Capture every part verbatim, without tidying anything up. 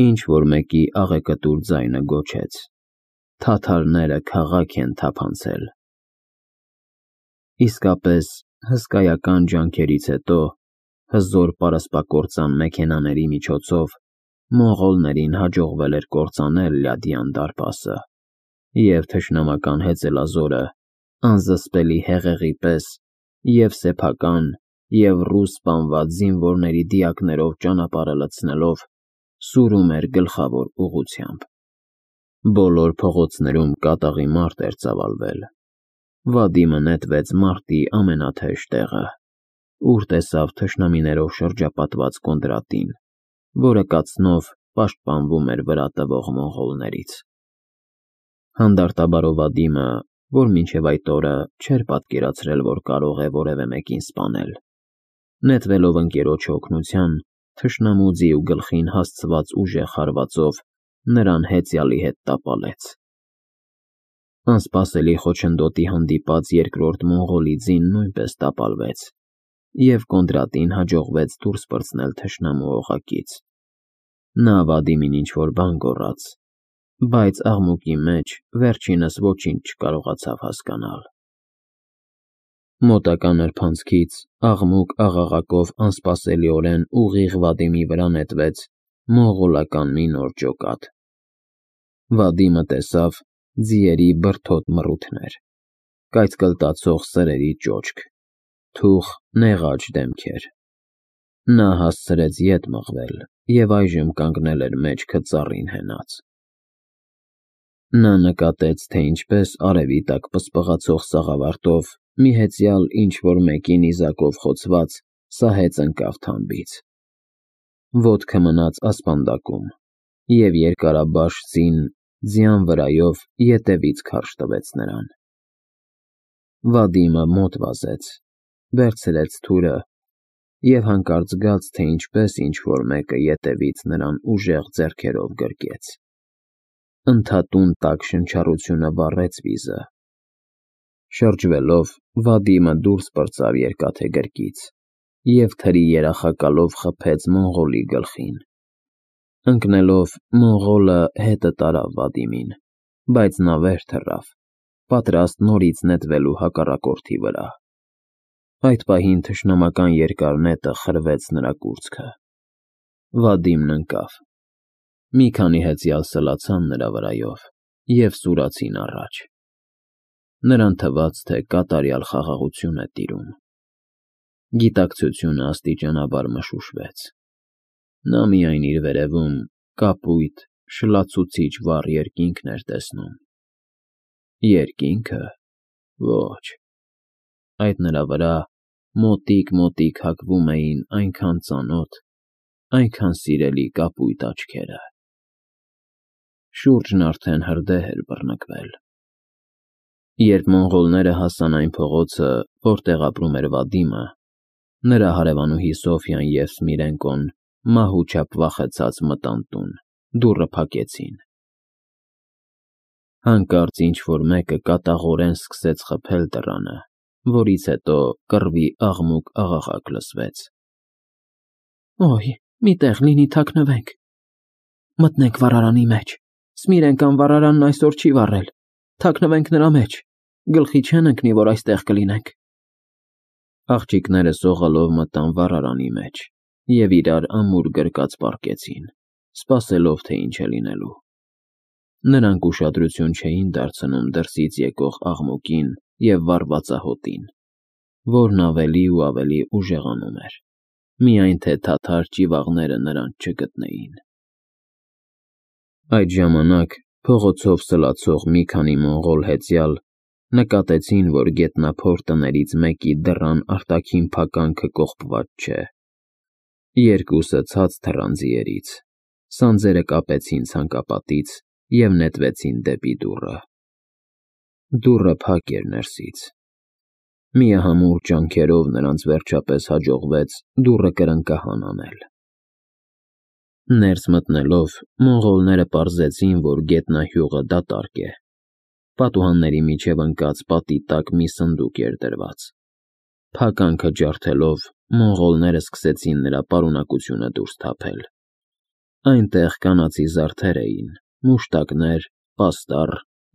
Ինչ-որ մեկի աղեկտուր ձայնը գոչեց. թաթարները քաղաք են թափանցել։ Իսկապես, հսկայական ջանքերից հետո, հզոր պարսպակործան մեքենաների միջոցով մոնղոլներին հաջողվել էր կործանել Լյադյան դարպասը, և թշնամական հեծելազորը, անզսպելի հեղեղի պես, և սեփական, և ռուս սպանված զինվորների դիակներով ճանապարհը լցնելով, սուրում էր գլխավոր ուղղությամբ։ Բոլոր փողոցներում կատաղի մարդ էր ծավալվել։ Վադիմը նետվեց մարտի ամենաթեժ տեղը, ուր տեսավ թշնամիներով շրջապատված Կոնդրատին, որը կացնով պաշտպանվում էր վրա տվող մոնղոլներից։ Հանդարտաբարով Վադիմը, որ մինչև այդ օրը չէր պատկերացրել, որ կարող է որևէ մեկին սպանել, նետվելով ընկերոջը օգնության, թշնամու ձիու գլխին հասցված ուժեղ հարվածով նրան հեծյալի հետ տապալեց։ Անսպասելի խոչընդոտի հանդիպած երկրորդ մոնղոլի ձին նույնպես տապալվեց, և Կոնդրատին հաջողվեց դուրս պրծնել թշնամու օղակից։ Նա Վադիմին ինչ-որ բան գոռաց, բայց աղմուկի մեջ վերջինս ոչինչ չկարողացավ հասկանալ։ Մոտակա նրբանցքից աղմուկ-աղաղակով անսպասելիորեն ուղիղ Վադիմի վրա նետվեց մոնղոլական մի նոր ջոկատ։ Վադիմը տեսավ ձիերի բրդոտ մռութներ, կայծկլտացող սրերի ճոճք, թուխ նեղաջ դեմքեր։ Նա հասցրեց ետ մղվել և այժմ կանգնել էր մեջքը ծառին հենած։ Նա նկատեց, թե ինչպես արևի տակ պսպղացող սաղավարտով մի հեծյալ ինչ-որ մեկի նիզակով խոցված սահեց ընկավ թամբից։ Ոտքը մնաց ասպանդակում, և երկարաբաշ ձին ձյան վրայով ետևից քարշ տվեց նրան։ Վադիմը մոտ վազեց, վերցրեց թուրը և հանկարծ զգաց, թե ինչպես ինչ-որ մեկը ետևից նրան ուժեղ ձեռքերով գրկեց։ Ընդհատուն տաք շնչառությունը վառեց վիզը։ Շրջվելով, Վադիմը դուրս պրծավ երկաթե գրկից և թրի երախակալով խփեց մոնղոլի գլխին։ Ընկնելով, մոնղոլը հետը տարավ Վադիմին, բայց նա վեր թռավ, պատրաստ նորից նետվելու հակառակորդի վրա։ Այդ պահին թշնամական երկար նետը խրվեց նրա կուրծքը։ Վադիմն ընկավ։ Մի քանի հեծյալ սլացան նրա վրայով և սուրացին առաջ։ Նրան թվաց, թե կատարյալ խաղաղություն է տիրում։ Գիտակցությունը աստիճանաբար մշուշվեց։ Նա միայն իր վերևում կապույտ, շլացուցիչ վառ երկինքն էր տեսնում։ Երկինքը… ոչ… Այդ նրա վրա մոտիկ-մոտիկ հագվում էին այնքան ծանոթ, այնքան սիրելի կապույտ աչքերը։ Շուրջն արդեն հրդեհ էր բռնկվել։ Երբ մոնղոլները հասան այն փողոցը, որտեղ ապրում էր Վադիմը, նրա հարևանուհի Սոֆյան և Սմիրենկոն մահու չափ վախեցած մտան տուն, դուռը փակեցին։ Հանկարծ ինչ-որ մեկը կատաղորեն սկսեց խփել դռանը, որից հետո կռվի աղմուկ-աղաղակ լսվեց։ «Օյ, մի տեղ լինի, թաքնվենք։ Մտնենք վառարանի մեջ։ Սմիրենկան վառարանն այսօր չի վառել, թաքնվենք նրա մեջ, գլխի չեն ընկնի, որ այստեղ կլինենք»։ Աղջիկները սողալով մտան վառարանի մեջ և իրար ամուր գրկած պառկեցին, սպասելով, թե ինչ է լինելու։ Նրանք ուշադրություն չէին դարձնում դրսից եկող աղմուկին և վառվածահոտին, որն ավելի ու ավելի ուժեղանում էր, միայն թե թաթար ճիվաղները նրանց չգտնեին։ Այդ ժամանակ փողոցով սլացող մի քանի մոնղոլ հեծյալ նկատեցին, որ գետնափոր տներից մեկի դռան արտաքին փականքը կողպված չէ։ Երկուսը ցած թռան ձիերից, սանձերը կապեցին ցանկապատից և նետվեցին դեպի դուռը։ Դուռը փակ էր ներսից։ Միահամուռ ջանքերով նրանց վերջապես հաջողվեց դուռը կրնկահան անել։ Ներս մտնելով, մոնղոլները պարզեցին, որ գետնահյուղը դատարկ է։ Պատուհանների միջև ընկած պատի տակ մի սնդուկ էր դրված։ Փականքը ջարդելով, մոնղոլները սկսեցին նրա պարունակությունը դուրս թափել։ Այնտեղ կանացի զարդեր էին, մուշտակներ, պաստառ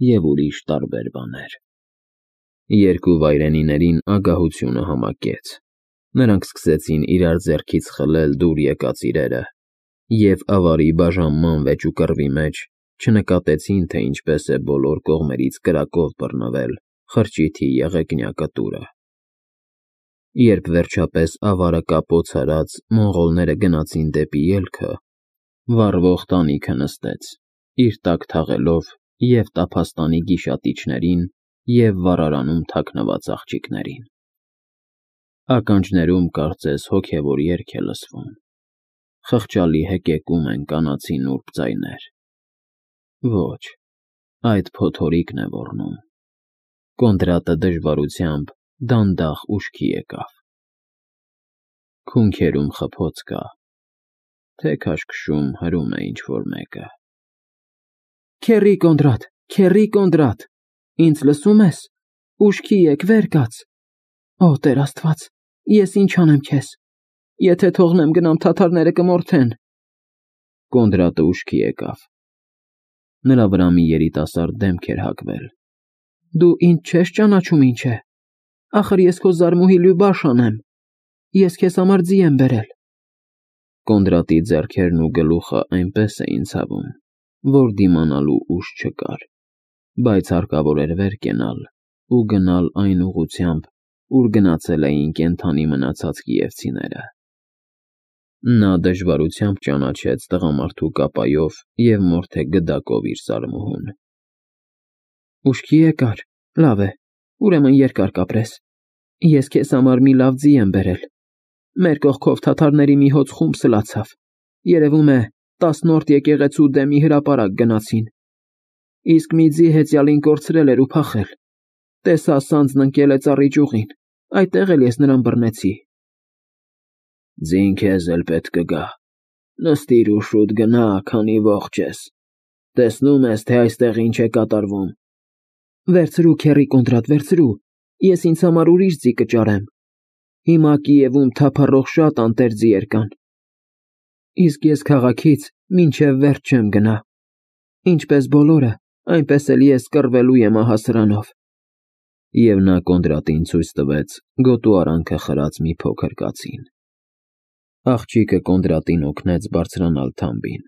և ուրիշ տարբեր բաներ։ Երկու վայրենիներին ագահությունը համակեց։ Նրանք սկսեցին իրար ձեռքից խլել դուր եկած իրերը և ավարի բաժանման վեճուկռվի մեջ չնկատեցին, թե ինչպես է բոլոր կողմերից կրակով բռնվել խրճիթի եղեգնյա կտուրը։ Երբ վերջապես ավարը կապոց արած, մոնղոլները գնացին դեպի ելքը, վառվող տանիքը նստեց, իր տակ թաղելով և տափաստանի գիշատիչներին, և վառարանում թաքնված աղջիկներին։ Ականջներում կարծես հոգևոր երգ է լսվում, խղճալի հեկեկում են կանացի նուրբ ձայներ։ Ոչ, այդ փոթորիկն է ոռնում։ Կոնդրատը դժվարությամբ դանդաղ ուշքի եկավ։ Քունքերում խփոց կա, թե քաշքշում հրում է ինչ-որ մեկը։ Քեռի Կոնդրատ, քեռի Կոնդրատ, ինձ լսո՞ւմ ես, ուշքի եկ, վեր կաց։ Օ Տեր Աստված, ես ինչ անեմ քեզ, եթե թողնեմ գնամ թաթարները կմորթեն։ Կոնդրատը ուշքի եկավ։ Նրա վրա մի երիտասարդ դեմք էր հագվել։ Դու ինձ չես ճանաչում ինչ է։ Ախր ես քո զարմուհի Լյուբաշան եմ։ Ես քեզ համար ձի եմ բերել։ Կոնդրատի ձեռքերն ու գլուխը այնպես էին ցավում, որ դիմանալու ուժ չկար, բայց հարկավոր էր վեր կենալ ու գնալ այն ուղղությամբ, ուր գնացել էին կենդանի մնացած կիևցիները։ Նա դժվարությամբ ճանաչեց տղամարդու կապայով և մորթե գդակով իր զարմուհուն։ Ուշքի եկար, լավ է, ուրեմն երկար կապրես։ Ես քեզ համար մի լավ ձի եմ բերել։ Մեր կողքով թաթարների մի հոծ խումբ սլացավ, երևում է տասնորդ եկեղեցու դեմի հրապարակ գնացին։ Իսկ մի ձի հեծյալին կորցրել էր ու փախել։ Տեսա սանձն ընկել է ծառի ճյուղին, այդտեղ էլ ես նրան բռնեցի։ Ձին քեզ էլ պետք կգա։ Նստիր ու շուտ գնա, քանի ողջ ես։ Տեսնում ես, թե այստեղ ինչ է կատարվում։ Վերցրու, քեռի Կոնդրատ, վերցրու, ես ինձ համար ուրիշ ձի կճարեմ։ Հիմա Կիևում թափառող շատ անտեր ձիեր կան։ Իսկ ես քաղաքից մինչև վերջ չեմ գնա։ Ինչպես բոլորը, այնպես էլ ես կռվելու եմ ահա սրանով։ Եվ նա Կոնդրատին ցույց տվեց գոտու արանքը խրած մի փոքր կացին։ Աղջիկը Կոնդրատին օգնեց բարձրանալ թամբին։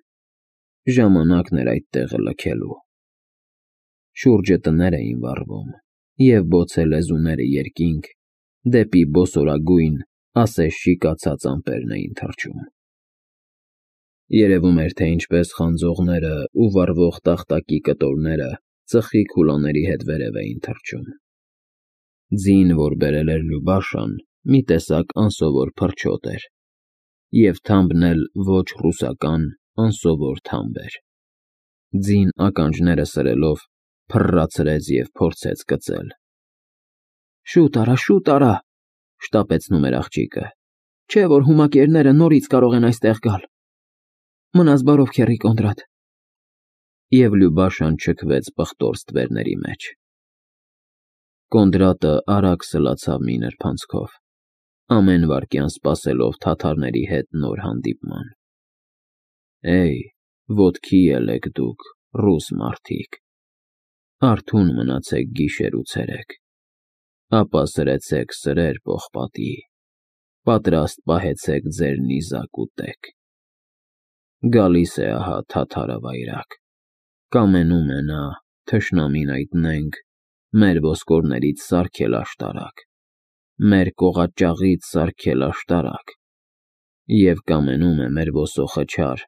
Ժամանակն էր այդ տեղը լքելու։ Շուրջը տներ էին վառվում, և բոցե լեզուները երկինք դեպի բոսորագույն, ասես շիկացած ամպերն էին թռչում։ Երևում էր, թե ինչպես խանձողները ու վառվող տախտակի կտորները ծխի քուլաների հետ վերև էին թռչում։ Ձին, որ բերել էր Լյուբաշան, մի տեսակ անսովոր փրչոտ էր, և թամբն էլ ոչ ռուսական, անսովոր թամբ էր։ Ձին ականջները սրելով փռռացրեց և փորձեց կծել։ Շուտ արա, շուտ արա, շտապեցնում էր աղջիկը, չէ՞ որ հումակերները նորից կարող են այստեղ գալ։ Մնաս բարով, քեռի Կոնդրատ։ Եվ Լյուբաշան չքվեց պղտոր ստվերների մեջ։ Կոնդրատը արագ սլացավ մի նրբանցքով, ամեն վայրկյան սպասելով թաթարների հետ նոր հանդիպման։ Էյ, ոտքի ելեք դուք, ռուս մարդիկ, արթուն մնացեք գիշեր ու ցերեկ, ապա սրեցեք սրեր պողպատի, պատրաստ պահեցեք ձեր նիզակ ու տեկ։ Գալիս է ահա թաթարը վայրագ, կամենում է նա, թշնամին այտնենք, մեր ոսկորներից սարքել աշտարակ, մեր կողաճաղից սարքել աշտարակ, և կամենում է մեր ոսոխը չար,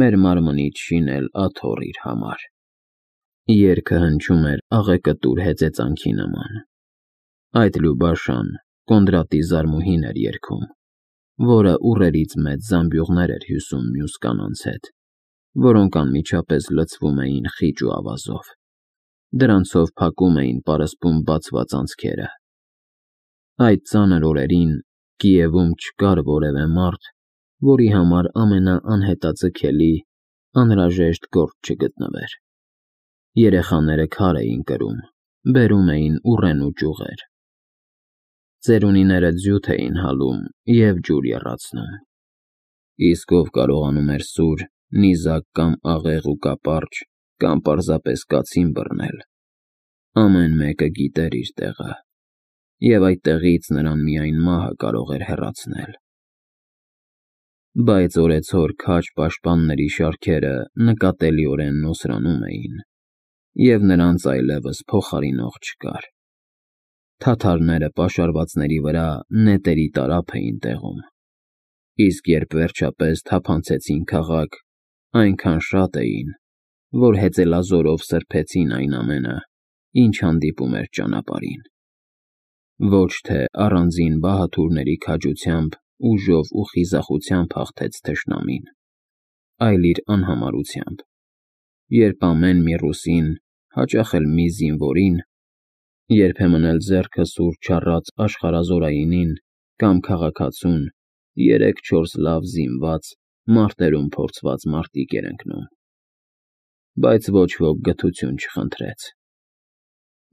մեր մարմնից շինել աթոռ իր համար։ Երգը հնչում էր աղեկտուր հեծեծանքի նման։ Այդ Լյուբաշան Կոնդրատի զարմուհին էր երգում, որը ուռերից մեծ զամբյուղներ էր հյուսում մյուս կանանց հետ, որոնք անմիջապես լցվում էին խիճ ու ավազով։ Դրանցով փակում էին պարսպում բացված անցքերը։ Այդ ծանր օրերին Կիևում չկար որևէ մարդ, որի համար ամենաանհետաձգելի, անհրաժեշտ գործ չգտնվեր։ Երեխաները քար էին կրում, բերում էին ուռենու ճյուղեր։ Ծերունիները ձյութ էին հալում և ջուր եռացնում։ Իսկ ով կարողանում էր սուր, նիզակ կամ աղեղ ու կապարճ, կամ պարզապես կացին բռնել, ամեն մեկը գիտեր իր տեղը, և այդ տեղից նրան միայն մահը կարող էր հեռացնել։ Բայց օրեցօր քաջ պաշտպանների շարքերը նկատելիորեն նոսրանում էին, և նրանց այլևս փոխարինող չկար։ Թաթարները պաշարվածների վրա նետերի տարափ էին տեղում, իսկ երբ վերջապես թափանցեցին քաղաք, այնքան շատ էին, որ հեծելազորով սրբեցին այն ամենը, ինչ հանդիպում էր ճանապարհին։ Ոչ թե առանձին բահաթուրների քաջությամբ, ուժով ու խիզախությամբ հաղթեց թշնամին, այլ իր անհամարությամբ, երբ ամեն մի ռուսին, հաճախ էլ մի զինվորին, երբեմն էլ ձեռքը սուր չառած աշխարհազորայինին կամ քաղաքացուն երեք֊չորս լավ զինված, մարտերում փորձված մարտիկ էր ընկնում։ Բայց ոչ ոք գթություն չխնդրեց։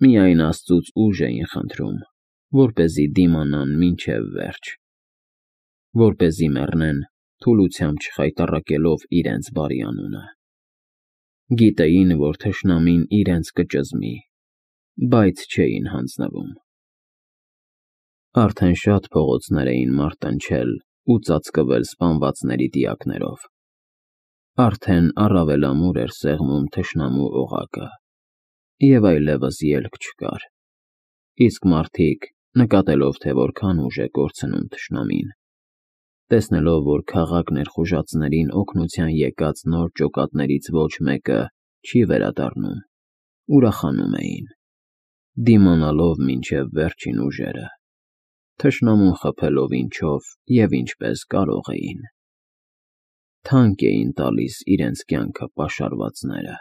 Միայն Աստծուց ուժ էին խնդրում, որպեսզի դիմանան մինչև վերջ, որպեսզի մեռնեն, թուլությամբ չխայտառակելով իրենց բարի անունը։ Գիտեին, որ թշնամին իրենց կճզմի, բայց չէին հանձնվում։ Արդեն շատ փողոցներ էին մարտնչել ու ծածկվել սպանվածների դիակներով։ Արդեն առավել ամուր էր սեղմում թշնամու օղակը, և այլևս ելք չկար, իսկ մարդիկ, նկատելով, թե որքան ուժ է կորցնում թշնամին, տեսնելով, որ քաղաք ներխուժածներին օգնության եկած նոր ջոկատներից ոչ մեկը չի վերադառնում, ուրախանում էին, դիմանալով մինչև վերջին ուժերը, թշնամուն խփելով ինչով և ինչպես կարող էին։ Թանկ էին տալիս իրենց կյանքը պաշարվածները։